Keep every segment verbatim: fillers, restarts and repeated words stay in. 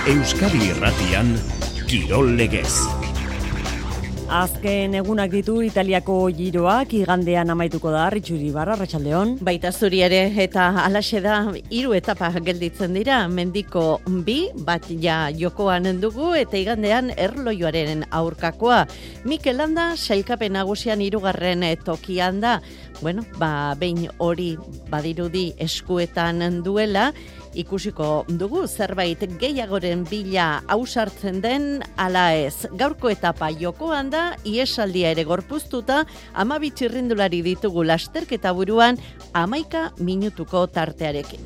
Euskadi Irratian, Kirol Legez. Azken egunak ditu Italiako giroak, igandean amaituko da, Ritxuri Barra, arratsaldeon. Baita zuri ere, eta alaxe da, hiru etapa gelditzen dira, mendiko bi, bat ja jokoan dugu, eta igandean erloioaren aurkakoa. Mikel Landa, sailkapen nagusian hirugarren tokian da, bueno, ba, behin hori badirudi eskuetan duela, ikusiko dugu zerbait gehiagoren bila ausartzen den ala ez. Gaurko etapa jokoan da, iesaldia ere gorpuztuta, hamabi txirrindulari ditugu lasterketa buruan, hamaika minutuko tartearekin.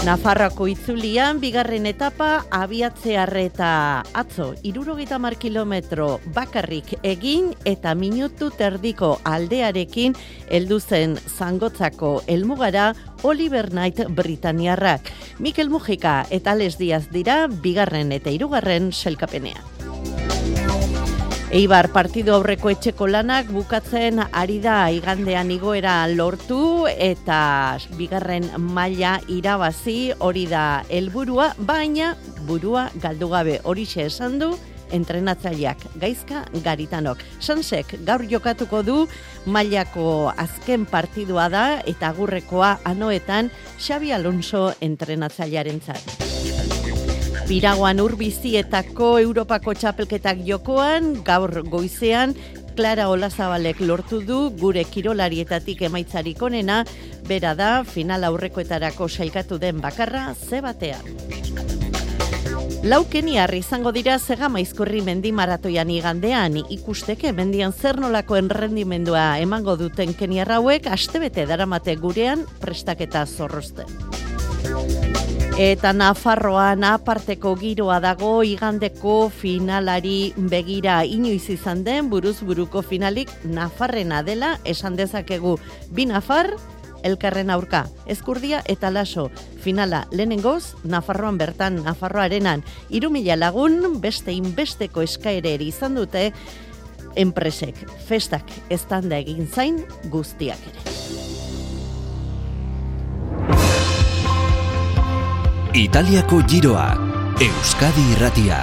Nafarroako itzulian, bigarren etapa, abiatzearreta atzo, hirurogeita hamar kilometro bakarrik egin eta minutu terdiko aldearekin heldu zen Zangotzako helmugara Oliver Knight Britaniarrak. Mikel Mujika eta Les Diaz dira bigarren eta hirugarren sailkapenean. Eibar partidu aurreko etxeko lanak bukatzen ari da igandean igoera lortu eta bigarren maila irabazi hori da helburua, baina burua galdu gabe horixe esan du entrenatzaileak Gaizka Garitanok. Sansek gaur jokatuko du mailako azken partidua da eta agurrekoa anoetan Xabi Alonso entrenatzailearentzat. Piraguan urbizietako Europako txapelketak jokoan, gaur goizean, Clara Olazabalek lortu du gure kirolarietatik emaitzarik onena, bera da final aurrekoetarako sailkatu den bakarra ze batean. Lau keniar izango dira Zegamaizkurri mendi maratoian igandean, ikusteke mendian zer nolako errendimendua emango duten keniar hauek astebete daramate gurean prestaketa zorrozten. Eta Nafarroan aparteko giroa dago igandeko finalari begira, inoiz izan den buruz buruko finalik Nafarrena dela esan dezakegu. Bi Nafar, elkarren aurka, Ezkurdia eta Laso. Finala lehenengoz, Nafarroan bertan, Nafarroarenan, hiru mila lagun beste inbesteko eskaereri izan dute enpresek. Festak eztanda egin zain guztiak ere. Italiako giroa, Euskadi Irratia.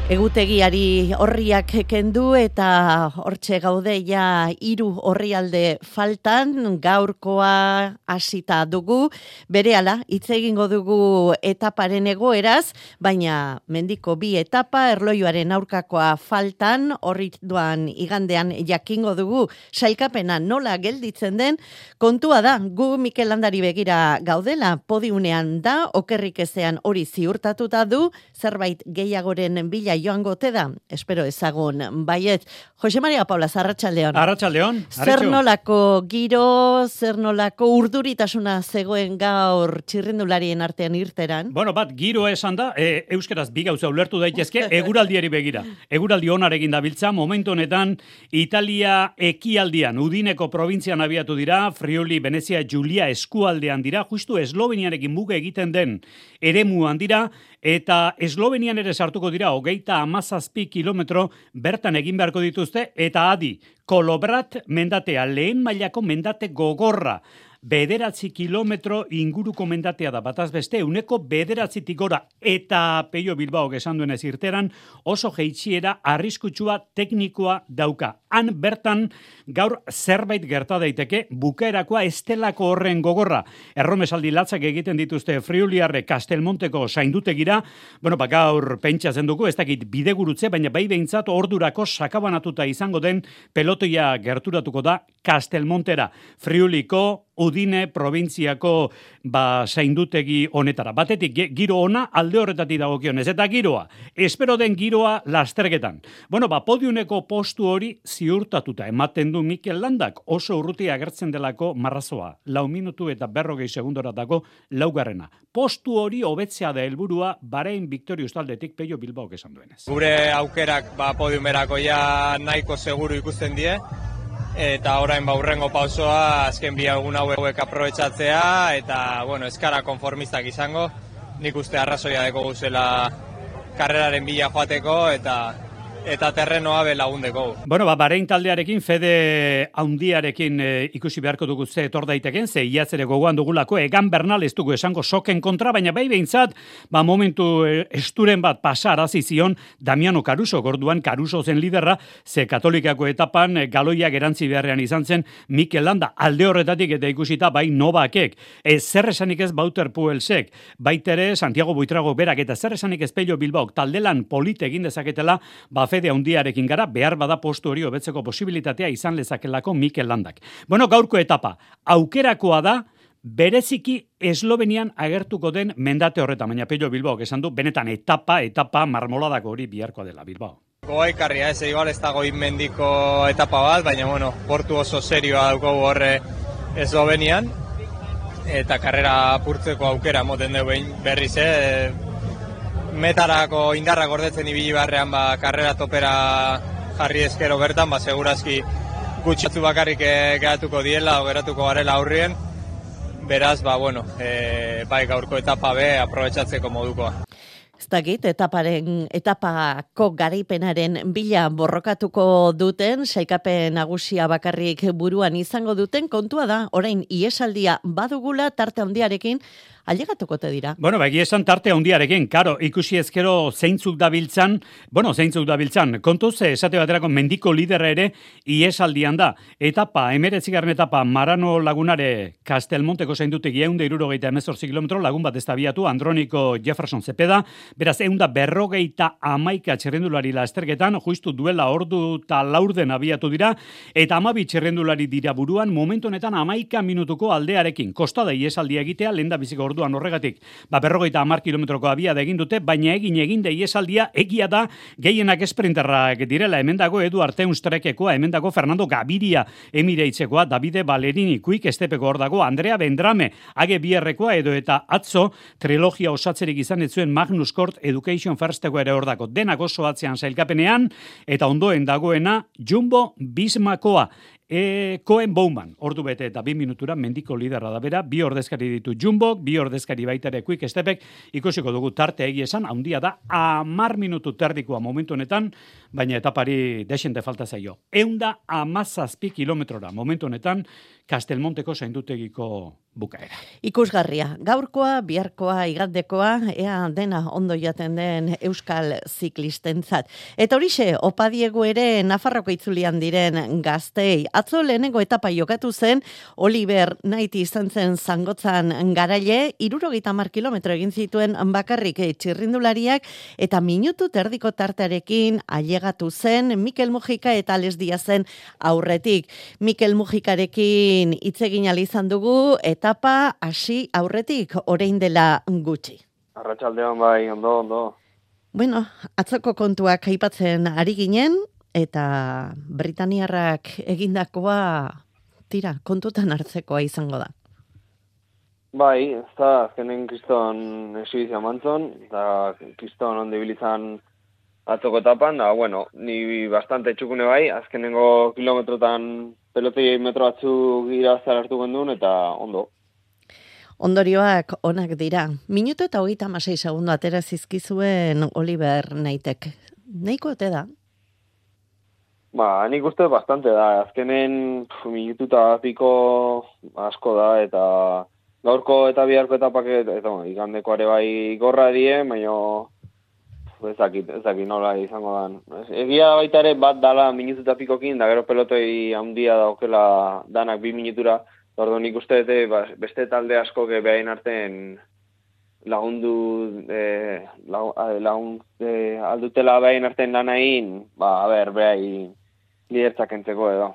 Egutegiari horriak kendu eta hortxe gaude ja hiru orrialde faltan, gaurkoa hasita dugu, berehala hitz egingo dugu etaparen egoeraz, baina mendiko bi etapa erloioaren aurkakoa faltan, horri duan igandean jakingo dugu sailkapena nola gelditzen den, kontua da, gu Mikel Landari begira gaudela, podiunean da, okerrik ezean hori ziurtatuta du, zerbait gehiagoren bila joango te da, espero ezagun, baiet. Jose Maria Paula, arratsaldeon. Arratsaldeon. Zer nolako giro, zer nolako urduritasuna zegoen gaur txirrindularien artean irteran? Bueno, bat, giro esan da, e, euskeraz bi gauza ulertu daitezke, eguraldiari begira. Eguraldi onarekin dabiltza, momentu honetan, Italia ekialdian, Udineko probintzian abiatu dira, Friuli, Venezia, Giulia eskualdean dira, justu Esloveniarekin muga egiten den eremuan dira, eta Eslovenian ere sartuko dira, hogeita hamazazpi kilometro bertan egin beharko dituzte, eta adi, Kolobrat mendatea, lehen mailako mendate gogorra, bederatzi kilometro inguruko mendatea da, bataz beste, uneko bederatzitik gora, eta Peio Bilbao esan duenez irteran, oso jeitsiera arriskutsua teknikoa dauka. Han bertan gaur zerbait gerta daiteke, bukaerakoa estelako horren gogorra. Erromesaldi latzak egiten dituzte Friuliarre Kastelmonteko saindutegira, bueno, ba, gaur pentsatzen dugu, ez dakit bidegurutze, baina bai behintzat ordurako sakabanatuta izango den pelotoia gerturatuko da Kastelmontera. Friuliko Udine probintziako ba, zaindutegi honetara. Batetik giro ona alde horretatik dagokionez. Eta giroa, espero den giroa lasterketan. Bueno, ba, podiuneko postu hori ziurtatuta ematen du Mikel Landak, oso urruti agertzen delako marrazoa. Lau minutu eta berrogei segundoratako laugarrena. Postu hori hobetzea da helburua Bahrein Victorious taldetik Peio Bilbao esan duenez. Gure aukerak ba, podiumerako ja nahiko seguru ikusten die. Eta orain ba hurrengo pausoa azken bi egun hauek aprobetxatzea eta bueno, eskara konformistak izango. Nik uste arrazoia deko guzela karreraren bila joateko eta eta terrenoa be lagundeko. Bueno, ba, Bahrein taldearekin, Fede haundiarekin e, ikusi beharko dugu ze etor daiteken, ze iaz ere gogoan dugulako, Egan Bernal ez dugu esango soken kontra, baina bai behintzat, ba, momentu e, esturen bat pasarazi zion Damiano Caruso, gorduan Caruso zen liderra, ze katolikako etapan e, galoiak erantzi beharrean izan zen Mikel Landa, alde horretatik eta ikusita bai Novakek, e, zer esanik ez Bauter Puelsek, baitere Santiago Buitrago berak, eta zer esanik ez Pello Bilbaok, taldelan polite egin dezaketela, ba, Fede haundiarekin gara, behar bada postu hori hobetzeko posibilitatea izan lezakelako Mikel Landak. Bueno, gaurko etapa, aukerakoa da, bereziki Eslovenian agertuko den mendate horretan, baina Pello Bilbaok esan du, benetan etapa, etapa marmoladako hori biharkoa dela Bilbao. Goa ikarria, ez igual ez dago inmendiko etapa bat, baina bueno, portu oso serioa daukagu horre Eslovenian, eta karrera apurtzeko aukera moten dugu berriz, eh? Metarako indarrak gordetzen ibili barrean ba, karrera topera jarri eskero bertan, ba, segurazki gutxatzu bakarrik e, geratuko diela o geratuko garela aurrien, beraz, ba, bueno, e, bai gaurko etapa be aprobetxatzeko modukoa. Ez dakit, etaparen, etapako garaipenaren bila borrokatuko duten, sailkapen nagusia bakarrik buruan izango duten, kontua da, orain iesaldia badugula tarte handiarekin, ailegatuko te dira. Bueno, begi esan tarte handiarekin, karo, ikusi ezkero zeintzuk dabiltzan, bueno, zeintzuk dabiltzan, kontuz, esate baterako mendiko lidera ere iesaldian da. Etapa, emeretzigarren etapa, Marano Lagunare Castelmonteko zaindutik eunda irurogeita emezortzi kilometro, lagun bat ez tabiatu, Androniko Jefferson Zepeda, beraz eunda berrogeita amaika txerrendulari lasterketan, justu duela ordu eta laurden abiatu dira, eta amabi txerrendulari dira buruan, momentu honetan amaika minutuko aldearekin. Kostada iesaldia egitea, lehen da biziko orduan horregatik, ba, berrogeita hamar kilometroko abiada egin dute, baina egin egin da iesaldia egia da gehienak esprinterrak direla, hemen dago Edu Arteunstrekekoa, hemen dago Fernando Gaviria emireitzekoa, Davide Ballerini Quick Estepeko hor dago, Andrea Bendrame Age Bierrekoa edo eta atzo trilogia osatzerik izan ez zuen Magnus Cort Education Firsteko ere hor dago, denak oso atzean sailkapenean, eta ondoen dagoena Jumbo Vismakoa. E, Cohen Bowman, ordu bete eta bi minutura mendiko liderra da bera, bi ordezkari ditu Jumbo, bi ordezkari baita ere Quick Stepek, ikusiko dugu tarte egia esan, handia da, amar minutu terdikoa momentu honetan, baina etapari desente falta zaio. Eunda amazazpi kilometrora momentu honetan, Castelmonteko zaindutegiko bukaera. Ikusgarria, gaurkoa, biharkoa, igandekoa, ea dena ondo jaten den euskal ziklistentzat. Eta horixe, opa diegu ere Nafarroko itzulian diren gaztei. Atzo lehenengo etapa jokatu zen, Oliver Knight izan zen zangotzan garaile, irurogeita hamar kilometro egin zituen bakarrik txirrindulariak, eta minutu terdiko tartearekin ailegatu zen Mikel Mujika eta Ales Diazen aurretik. Mikel Mujikarekin hitz egin ahal izan dugu, etapa hasi aurretik orain dela gutxi. Arratsaldean bai, ondo, ondo. Bueno, atzoko kontuak aipatzen ari ginen, eta Britaniarrak egindakoa tira, kontutan hartzekoa izango da. Bai, ez da, azkenen kriston esibizia mantzon, eta kriston ondo ibilizan atzoko etapan, da, bueno, ni bastante txukune bai, azkenengo kilometrotan pelotei metro batzuk irazar hartu gendun, eta ondo. Ondorioak onak dira. Minuto eta hogeita hamasei segundo atera zizkizuen Oliver Knightek. Nahiko ote da? Ba, nik uste bastante da. Azkenen pf, minutu eta piko asko da, eta gaurko eta biharko etapak, eta bueno, igandekoare bai gorra die, baina ezakit, ezakit nola izango dan. Egia baita ere bat dala minutu eta pikokin, da gero pelotoi handia daukela danak bi minutura, ordo nik uste dute ba, beste talde asko behain artean lagundu eh, lagun, eh, aldutela behain artean lanain, ba, a ber, behai lidertzak entzeko edo.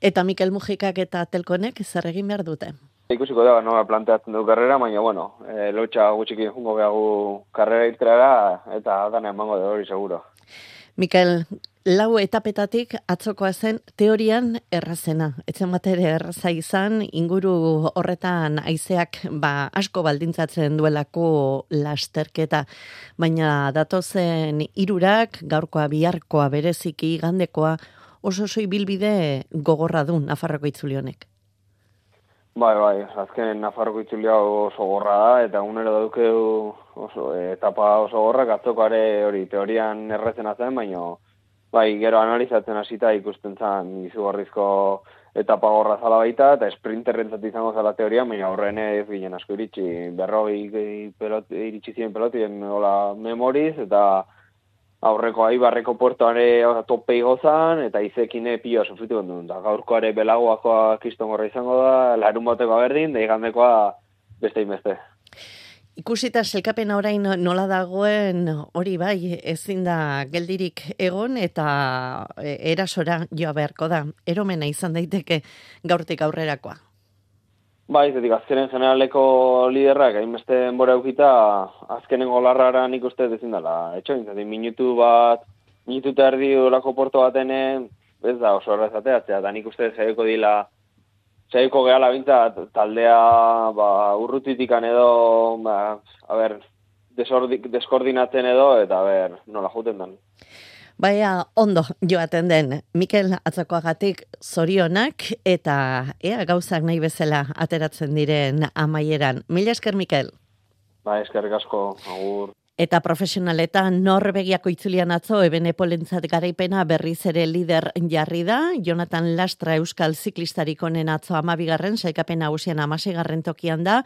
Eta Mikel Mujikak eta Telkonek zer egin behar dute? Ikusiko da, nola planteatzen du karrera, baina, bueno, e, lotxa gutxiki jungo behagu karrera irtera eta dana emango da hori seguro. Mikel, lau etapetatik atzokoa zen teorian errazena. Etzen bat ere erraza izan, inguru horretan haizeak ba, asko baldintzatzen duelako lasterketa. Baina datozen hirurak, gaurkoa biharkoa bereziki gandekoa, oso oso ibilbide gogorra du Nafarroko itzuli honek. Bai, bai, azken Nafarroko itzulia oso gorra da, eta unero daukeu oso, etapa oso gorrak, atzokoare hori teorian erretzen zen, baina bai, gero analizatzen hasita ikusten zen izugarrizko etapa gorra zala baita, eta sprinterrentzat izango zala teoria, baina horren ez ginen asko iritsi, berrogei pelot, iritsi ziren pelotien hola memoriz, eta aurreko Aibarreko puertoare tope igozan, eta izekine pio sufritu gondun. Da, gaurkoare belagoakoa kiston gorra izango da, larun batekoa berdin, da igandekoa beste inbeste. Ikusita selkapena orain nola dagoen hori bai, ezin da geldirik egon eta erasora joa beharko da. Eromena izan daiteke gaurtik aurrerakoa. Bai, zetik azkenen generaleko liderrak, hainbeste denbora eukita, azkenengo larrara nik uste ezin dela. Etxoin, zetik minutu bat, minutu eta erdi olako porto batene, ez da oso errezateatzea, eta nik uste zaiko dila, zaiko gehala bintzat, taldea ba, urrutitikan edo, ba, a ber, deskoordinatzen edo, eta a ber, nola juten den. Baina ondo joaten den, Mikel Atzakoagatik zorionak eta ea gauzak nahi bezala ateratzen diren amaieran. Mila esker, Mikel. Ba, eskerrik asko, agur. Eta profesionaletan Norvegiako itzulian atzo Ebenepolentzat garaipena berriz ere lider jarri da. Jonathan Lastra euskal ziklistarik honen atzo amabigarren, sailkapen nagusian hamaseigarren tokian da.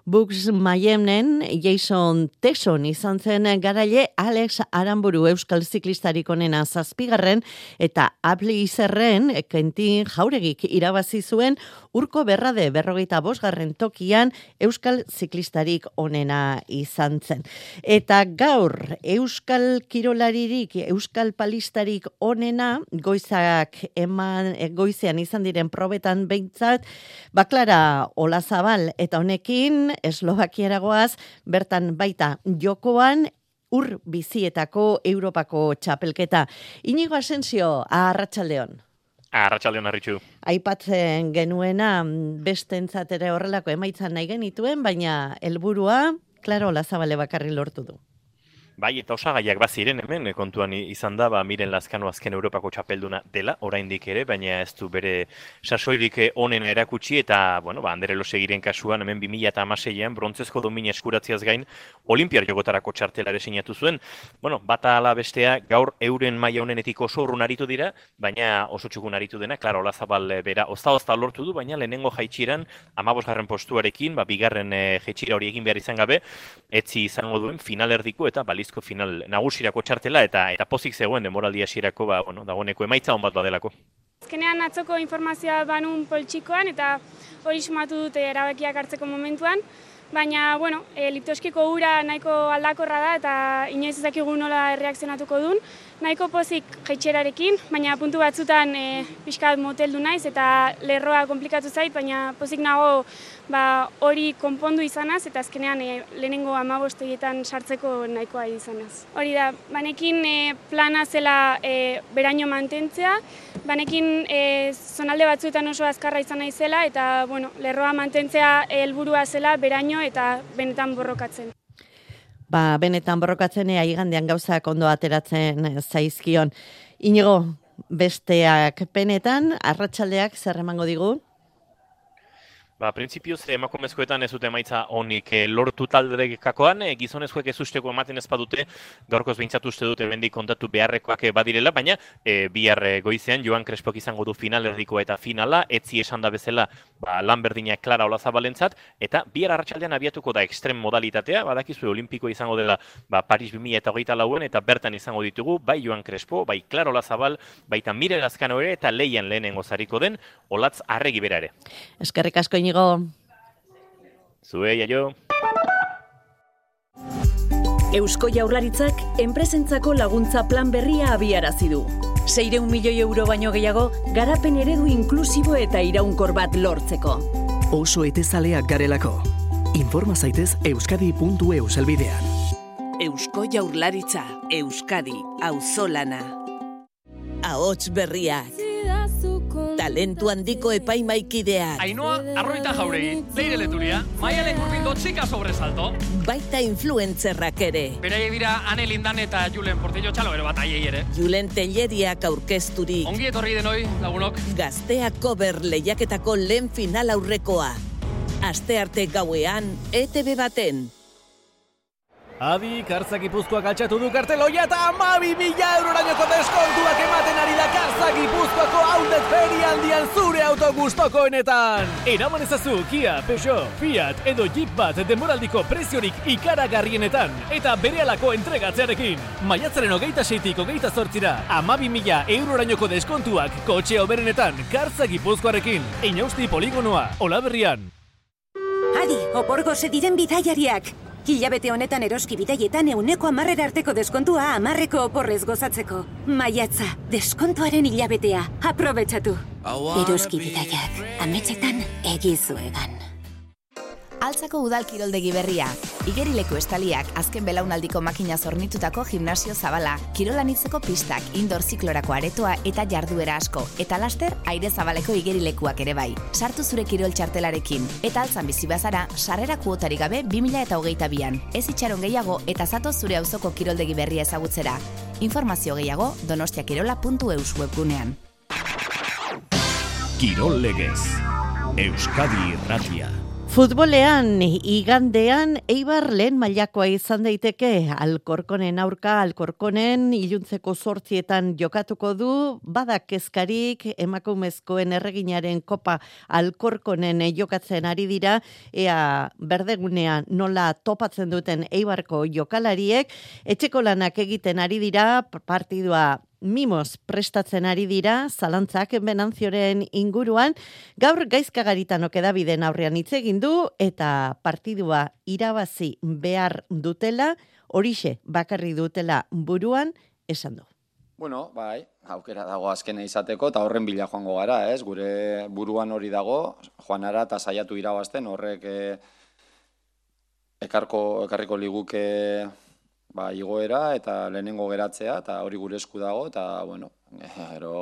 Bux Mayemnen Jason Tesson izan zen garaile, Alex Aramburu euskal ziklistarik honena zazpigarren, eta Abli Izerren Kentin Jauregik irabazi zuen Urko Berrade berrogeita bosgarren tokian euskal ziklistarik honena izan zen. Eta gaur euskal kirolaririk, euskal palistarik onena, goizak eman, goizean izan diren probetan behintzat, Baklara Olazabal eta honekin Eslovakiaragoaz, bertan baita jokoan ur bizietako Europako txapelketa. Inigo Asensio, arratsaldeon. Arratsaldeon Arritxu. Aipatzen genuena bestentzat ere horrelako emaitzan nahi genituen, baina helburua Klaro Olazabale bakarri lortu du. Bai, eta osagaiak baziren hemen, kontuan izan da, ba, Miren Lazkano azken Europako txapelduna dela, oraindik ere, baina ez du bere sasoirik onen erakutsi, eta, bueno, ba, Ander Elosegiren kasuan, hemen bi mila hamaseian, brontzezko domina eskuratziaz gain, Olimpiar jokotarako txartela ere sinatu zuen. Bueno, bata ala bestea, gaur euren maila honenetik oso urrun aritu dira, baina oso txukun aritu dena, Klaro Olazabal bera, ozta-ozta lortu du, baina lehenengo jaitxiran, hamabosgarren postuarekin, ba, bigarren e, jaitxira hori egin behar izan gabe, etzi izango duen finalerdiko eta baliz final nagusirako txartela eta eta pozik zegoen denboraldi hasierako ba bueno, dagoeneko emaitza on bat badelako. Azkenean atzoko informazioa banun poltsikoan eta hori sumatu dute erabakiak hartzeko momentuan, baina bueno, e, Liptoskiko ura nahiko aldakorra da eta inoiz ez dakigu nola erreakzionatuko duen. Nahiko pozik jaitserarekin, baina puntu batzutan e, pixkat moteldu naiz eta lerroa komplikatu zait, baina pozik nago ba, hori konpondu izanaz eta azkenean e, lehenengo hamabosteietan sartzeko nahikoa izanaz. Hori da, banekin e, plana zela e, beraino mantentzea, banekin e, zonalde batzuetan oso azkarra izan naizela eta bueno, lerroa mantentzea helburua zela beraino eta benetan borrokatzen. Ba, benetan borrokatzen ea igandean gauzak ondo ateratzen zaizkion. Inigo, besteak penetan, arratsaldeak zer emango digu? Ba, printzipioz, emakumezkoetan ez dute emaitza honik e, lortu taldekakoan, e, gizonezkoek ez usteko ematen ez badute, gaurkoz behintzatu uste dute bendik kontatu beharrekoak badirela, baina e, bihar goizean Joan Crespok izango du finalerdikoa eta finala, etzi esan da bezala ba, lan berdina Klara Olazabalentzat, eta bihar arratsaldean abiatuko da ekstrem modalitatea, badakizue olimpiko izango dela ba, Paris bi mila hogeita lauen, eta bertan izango ditugu, bai Joan Crespo, bai Klara Olazabal, baita Miren Lazkano ere, eta leian lehenengo zariko den, Olatz Arregi bera ere. Eskerrik asko, Inigo. Zue, jaio. Eusko Jaurlaritzak enpresentzako laguntza plan berria abiarazi du. seiehun milioi euro baino gehiago garapen eredu inklusibo eta iraunkor bat lortzeko. Oso etezaleak garelako. Informa zaitez euskadi puntu eus elbidean. Eusko Jaurlaritza, Euskadi, auzolana. Ahots berriak. Talentu handiko epaimaikideak. Ainhoa Arroita Jauregi, Leire Leturia, Maialen Gurbindo Txika Sobresalto. Baita influentzerrak ere. Beraie dira Ane Lindan eta Julen Portillo Txalo ere bat aiei ere. Julen Telleriak aurkezturik. Ongi etorri denoi, lagunok. Gazteak cover lehiaketako lehen final aurrekoa. Astearte gauean E T B baten. Adi, Kartza Gipuzkoak altxatu du karteloia eta hamabi mila eurorainoko deskontuak ematen ari da Kartza Gipuzkoako outlet ferialdian zure auto gustokoenetan. Eraman ezazu Kia, Peugeot, Fiat edo Jeep bat denboraldiko preziorik ikaragarrienetan eta berehalako entregatzearekin. Maiatzaren hogeita seitik hogeita zortzira, hamabi mila eurorainoko deskontuak kotxe hoberenetan Kartza Gipuzkoarekin. Inausti poligonoa, Olaberrian. Adi, oporgo diren bidaiariak. Hilabete honetan eroski bidaietan euneko amarrera arteko deskontua amarreko oporrez gozatzeko. Maiatza, deskontuaren hilabetea. Aprobetxatu. Eroski bidaiak, ametsetan egizuegan. Altzako udal kiroldegi berria. Igerileku estaliak, azken belaunaldiko makina zornitutako gimnasio zabala, kirolanitzeko pistak, indoor ziklorako aretoa eta jarduera asko, eta laster aire zabaleko igerilekuak ere bai. Sartu zure kirol txartelarekin, eta altzan bizi bazara, sarrera kuotarik gabe bi mila hogeita bian. Ez itxaron gehiago eta zatoz zure auzoko kiroldegi berria ezagutzera. Informazio gehiago donostiakirola puntu eus webgunean. Kirol legez. Euskadi Irratia. Futbolean, igandean, Eibar lehen mailakoa izan daiteke, Alkorkonen aurka, Alkorkonen iluntzeko zortzietan jokatuko du, badak kezkarik, emakumezkoen erreginaren kopa Alkorkonen jokatzen ari dira, ea berdegunea nola topatzen duten Eibarko jokalariek, etxeko lanak egiten ari dira, partidua mimoz prestatzen ari dira, zalantzak Benanzioren inguruan, gaur Gaizkagaritanok edabideen aurrean hitz egin du, eta partidua irabazi behar dutela, horixe bakarri dutela buruan, esan du. Bueno, bai, aukera dago azkena izateko, eta horren bila joango gara, ez? Gure buruan hori dago, joanara eta saiatu irabazten, horrek eh, ekarko, ekarriko liguke ba, igoera eta lehenengo geratzea, eta hori gure esku dago, eta, bueno, ero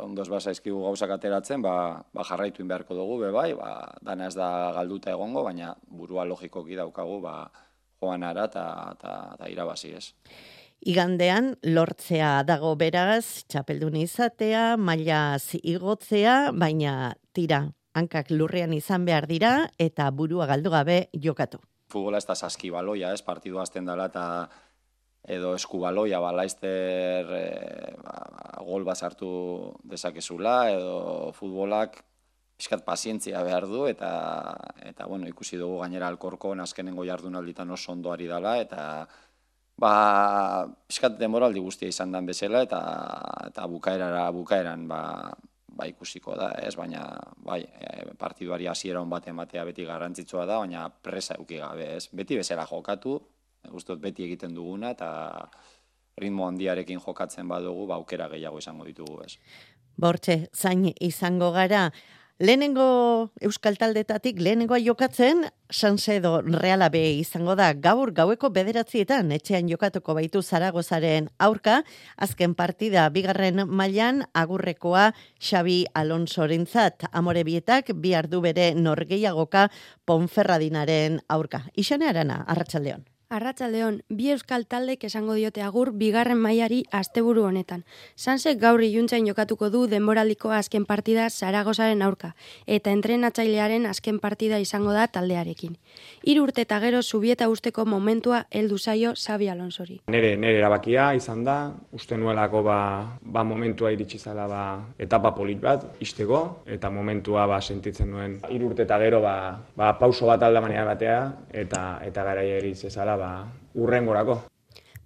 ondoz basa izkigu gauzak ateratzen, ba, ba jarraitu beharko dugu, be bai, ba, dana ez da galduta egongo, baina burua logikoki daukagu, ba, joanara eta irabazi ez. Igandean, lortzea dago beraz, txapeldun izatea, mailaz igotzea, baina tira, hankak lurrean izan behar dira, eta burua galdu gabe jokatu. Futbola ez da saskibaloia, ez, partidu azten dela, eta edo eskubaloia, ba, laizter e, ba, gol bat sartu dezakezula, edo futbolak pixkat pazientzia behar du, eta, eta bueno, ikusi dugu gainera Alkorkon azkenengo jardunalditan oso ondo ari dela, eta ba, pixkat denboraldi guztia izan den bezala, eta, eta bukaerara, bukaeran ba, ba ikusiko da, ez, baina bai, partiduari hasiera on bat ematea beti garrantzitsua da, baina presa eduki gabe, ez, beti bezala jokatu, gustot beti egiten duguna, eta ritmo handiarekin jokatzen badugu, ba aukera gehiago izango ditugu, ez. Bortxe, zain izango gara, lehenengo Euskal Taldetatik lehenengoa jokatzen, Sansedo Reala B izango da gaur gaueko bederatzietan etxean jokatuko baitu Zaragozaren aurka, azken partida bigarren mailan agurrekoa Xabi Alonsorentzat, Amorebietak bihar du bere norgehiagoka Ponferradinaren aurka. Ixane Arana, arratsaldeon. Arratsaldeon, bi euskal taldek esango diote agur bigarren mailari asteburu honetan. Sansek gaur iluntzain jokatuko du denboraldiko azken partida Zaragozaren aurka, eta entrenatzailearen azken partida izango da taldearekin. Hiru urte eta gero Zubieta usteko momentua heldu zaio Xabi Alonsori. Nere, nere erabakia izan da, uste nuelako ba, ba momentua iritsi zala ba, etapa polit bat, isteko, eta momentua ba, sentitzen nuen. Hiru urte eta gero ba, ba, pauso bat aldamanean batea, eta, eta garaia iritsi zala ba, urrengorako.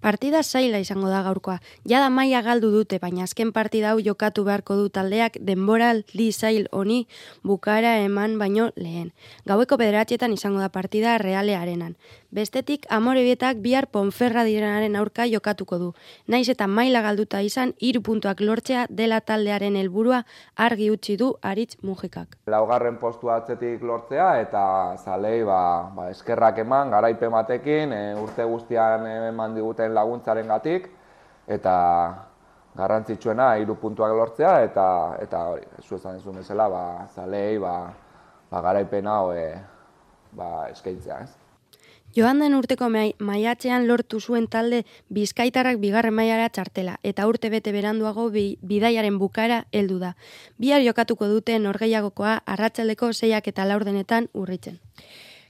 Partida zaila izango da gaurkoa. Jada maila galdu dute, baina azken partida hau jokatu beharko du taldeak denboraldi zail honi bukaera eman baino lehen. Gaueko bederatzietan izango da partida Realearenan. Bestetik, Amorebietak bihar Ponferradinaren aurka jokatuko du. Naiz eta maila galduta izan, hiru puntuak lortzea dela taldearen helburua argi utzi du Aritz Mujikak. Laugarren postua atzetik lortzea eta zalei ba, ba, eskerrak eman, garaipen batekin, e, urte guztian eman diguten laguntzaren gatik, eta garrantzitsuena hiru puntuak lortzea, eta eta hori, zu esan duzun bezala, ba, zalei ba, ba, garaipen hau e, ba, eskaintzea, ez? Joan den urteko maiatzean lortu zuen talde Bizkaitarrak bigarren mailara txartela, eta urte bete beranduago bi, bidaiaren bukaera heldu da. Bihar jokatuko dute norgehiagokoa arratsaldeko seiak eta laurdenetan urritzen.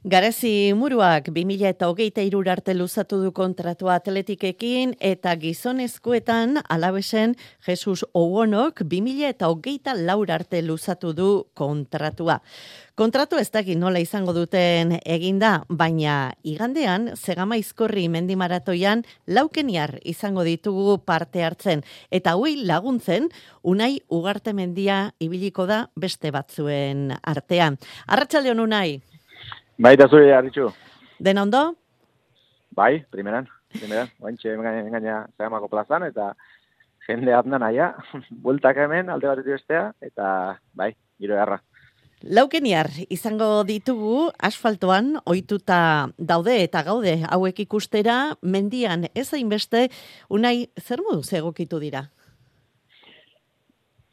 Garazi Muruak bi mila eta hogeita hiru arte luzatu du kontratua Atletikekin eta gizonezkoetan Alabesen Jesus Owonok bi mila eta hogeita lau arte luzatu du kontratua. Kontratu ez dakit nola izango duten eginda, baina igandean Zegamaizkorri mendi maratoian laukeniar izango ditugu parte hartzen eta hui laguntzen Unai Ugarte mendia ibiliko da beste batzuen artean. Arratsaldeon Unai. Bai, da zure arritxu. Den ondo? Bai, primeran, primeran. Oantxe engaina Zegamako plazan, eta jende atnan aia, bueltak hemen, alde bat bestea, eta bai, giro erra. Laukeniar izango ditugu asfaltoan ohituta daude eta gaude hauek ikustera, mendian ez hainbeste. Unai, zer moduz egokitu dira?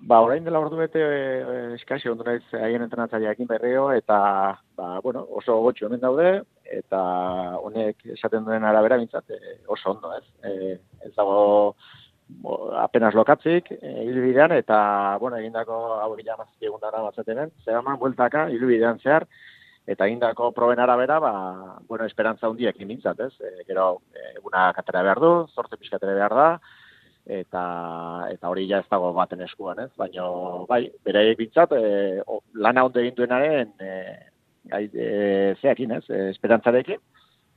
Ba, orain dela ordu bete e, eskasi ondo naiz haien entrenatzaileekin berriro, eta ba, bueno, oso gotxo hemen daude, eta honek esaten duen arabera bintzat e, oso ondo, ez? E, ez dago bo, apenas lokatzik, e, ilubidean, eta, bueno, egindako hau egila mazki egun dara batzatenen, Zegaman bueltaka, ilubidean zehar, eta egindako proben arabera, ba, bueno, esperantza hundiekin bintzat, ez? E, gero, eguna katera behar du, zortze pixkatere behar da, eta eta hori ja ez dago baten eskuan, ez? Baina, bai, beraiek bintzat, e, lana ondo egin duenaren e, gai, e, zeakin, ez? E, esperantzarekin,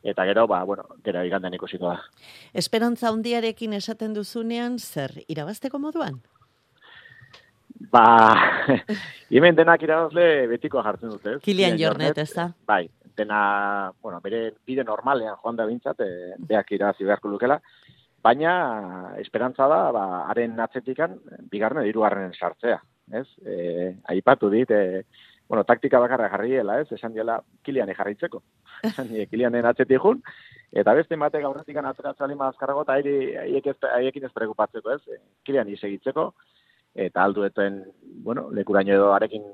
eta gero, ba, bueno, gero igandean ikusiko da. Esperantza hundiarekin esaten duzunean, zer, irabazteko moduan? Ba, hemen denak irabazle betikoa jartzen dute, ez? Kilian Jornet, ez da? Bai, dena, bueno, bere bide normalean joan da bintzat, e, beak irabazi beharko lukela, baina esperantza da, ba, haren atzetikan, bigarren hirugarren sartzea, ez? E, aipatu dit, e, bueno, taktika bakarra jarriela, ez? Esan diola, Kiliane jarraitzeko. Esan die, Kilianen atzetik jun, eta beste batek aurretikan atzeratzali mazkarrago, eta haiekin ez preocupatzeko, ez? Kiliani segitzeko, eta aldueten, bueno, lekuraino edo arekin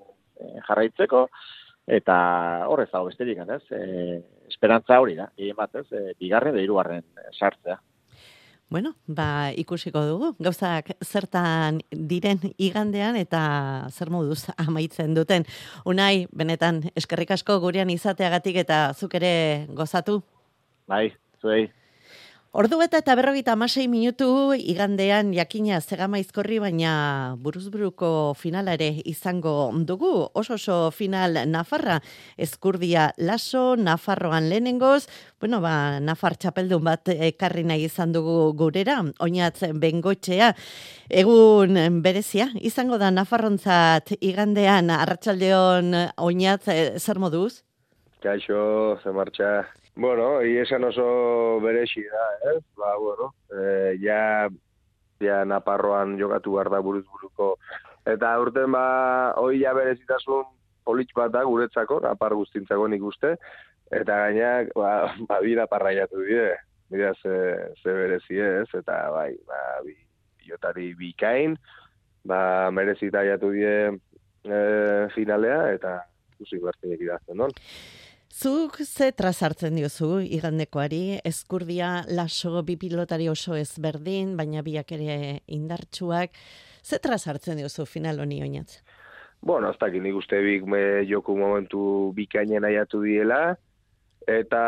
jarraitzeko, eta horrez dago besterik, ez? E, esperantza hori da, egin bat, ez? E, bigarren edo hirugarren sartzea. Bueno, ba, ikusiko dugu. Gauzak zertan diren igandean eta zer moduz amaitzen duten. Unai, benetan, eskerrik asko gurean izateagatik eta zuk ere gozatu. Bai, zuei. Ordu beta eta berrogeita hamasei minutu igandean jakina Zegamaizkorri, baina buruzburuko finala ere izango dugu. Oso oso final Nafarra, Ezkurdia Laso, Nafarroan lehenengoz, bueno, ba, Nafar txapeldun bat ekarri nahi izan dugu gurera, Oinatz Bengoetxea. Egun berezia, izango da Nafarrontzat igandean, arratsaldeon Oinatz, zer moduz? Kaixo, ze martxa. Bueno, esan oso berexi da, ez? Ba, bueno, e, ja, ja Naparroan jokatu behar da buruz buruko. Eta urten, ba, hoi ja berezitasun politx bat da guretzako, Napar guztintzako nik uste. Eta gainak, ba, ba bi Naparra jatu dire. Mira, ze, ze berezi ez, eta bai, ba, bi, biotari bikain, ba, merezita jatu die e, finalea, eta ikusi bertinek idazten, non? Zuk ze trazartzen diozu igandekoari, Ezkurdia Laso bi pilotari oso ezberdin, baina biak ere indartsuak. Ze trazartzen diozu final honi Oinatz? Bueno, ez dakit nik uste bik me joku momentu bikainen aiatu diela, eta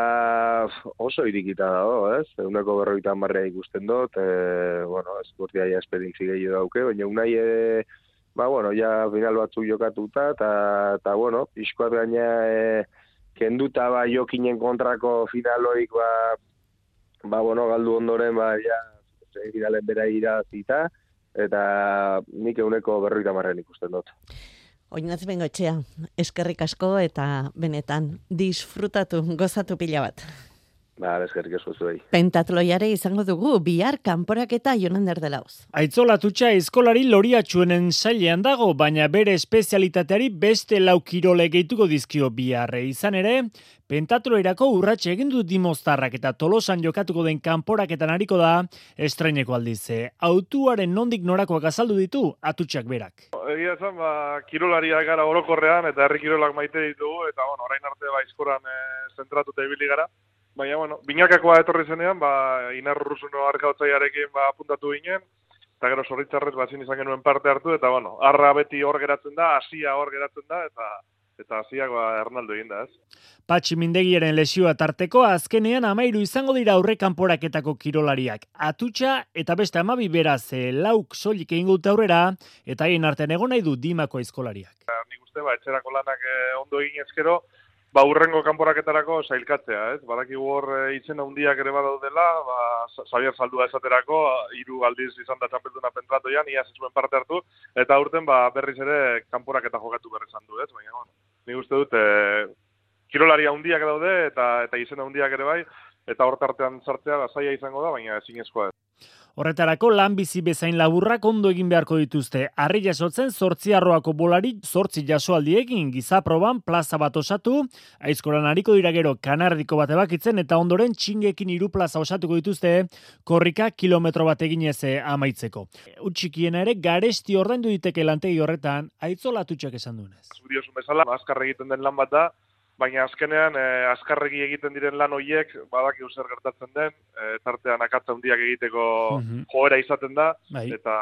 oso irikita dago, ez? Eguneko berroita marrea ikusten dut, e, bueno, Ezkurdia ja esperientzi gehiago dauke, baina unai ere, ba, bueno, ja final batzu jokatuta, eta, eta bueno, pixkoat gaina, e, kenduta ba jokinen kontrako finaloik ba, ba bueno, galdu ondoren ba ja finalen bera irazita eta nik eguneko berroita marren ikusten dut. Oinatz Bengoetxea, eskerrik asko eta benetan disfrutatu, gozatu pila bat. Ba, eskerrik asko zuei. Pentatloiare izango dugu bihar kanporaketa Jonander de Lauz. Aitzola Tutxa eskolari loriatxuenen sailean dago, baina bere espezialitateari beste lau kirole gehituko dizkio biharre. Izan ere, pentatloirako urratxe egin du Dimoztarrak eta Tolosan jokatuko den kanporaketan ariko da estraineko aldize. Autuaren nondik norakoak azaldu ditu Atutxak berak. Egia esan, ba, kirolariak gara orokorrean eta herri kirolak maite ditugu, eta bueno, orain arte ba, aizkoran e, zentratuta ibili gara. baina, bueno, binakakoa etorri zenean, ba, Inarruzuno arkaotzaiarekin ba, apuntatu ginen, eta gero zorritzarrez bazin izan genuen parte hartu, eta, bueno, arra beti hor geratzen da, hasia hor geratzen da, eta eta hasiak ba, Ernaldo egin da, ez? Patxi Mindegiaren lesioa tarteko, azkenean amairu izango dira aurre kanporaketako kirolariak. Atutxa eta beste amabi beraz, lauk soilik egin dute aurrera, eta haien artean egon nahi du Dimako aizkolariak. Nik uste, ba, etxerako lanak eh, ondo egin ezkero, ba, urrengo kanporaketarako sailkatzea, ez? Badakigu hor e, izen handiak ere badaudela, ba, Xabier Zaldua esaterako, hiru aldiz izan da txapelduna pentratoian, iaz ez zuen parte hartu, eta urten ba, berriz ere kanporaketa jokatu berri izan du, ez? Baina, bueno, nik uste dut, e, kirolari handiak daude, eta eta izen handiak ere bai, eta hor tartean sartzea da zaila izango da, baina ezinezkoa ez. Horretarako lan bizi bezain laburrak ondo egin beharko dituzte. Harri jasotzen zortzi arroako bolari zortzi jasoaldiekin gizaproban plaza bat osatu, aizkoran hariko dira gero kanardiko bat ebakitzen eta ondoren txingekin hiru plaza osatuko dituzte korrika kilometro bat eginez amaitzeko. Utxikiena ere garesti ordaindu diteke lantegi horretan, aitzolatutxak esan duenez. Zubiosun bezala, azkar egiten den lan bat da, baina azkenean eh, azkarregi egiten diren lan horiek badakigu zer gertatzen den, eh, tartean akatza handiak egiteko mm-hmm. joera izaten da, bai. Eta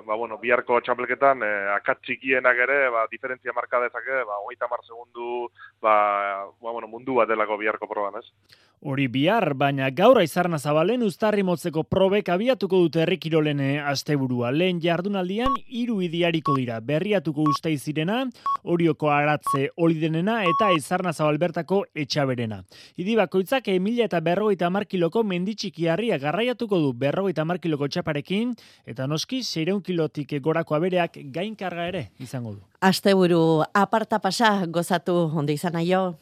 ba, bueno, biharko txapelketan eh, akatz txikienak ere ba, diferentzia marka dezake, ba, hogeita hamar segundu ba, ba, bueno, mundu bat delako biharko proban, ez? Hori bihar, baina gaur Aizarna Zabalen uztarri motzeko probek abiatuko dute herri kirolen asteburua. Lehen jardunaldian hiru idiariko dira. Berriatuko Usteiz zirena, Orioko Aratze Olidenena eta Aizarna Zabal bertako Etxaberena. Idi bakoitzak mila eta berrogeita hamar kiloko menditxikiarria garraiatuko du berrogeita hamar kiloko txaparekin, eta noski seiehun kilotik gorako abereak gainkarga ere izango du. Asteburu aparta pasa gozatu onde izan aio.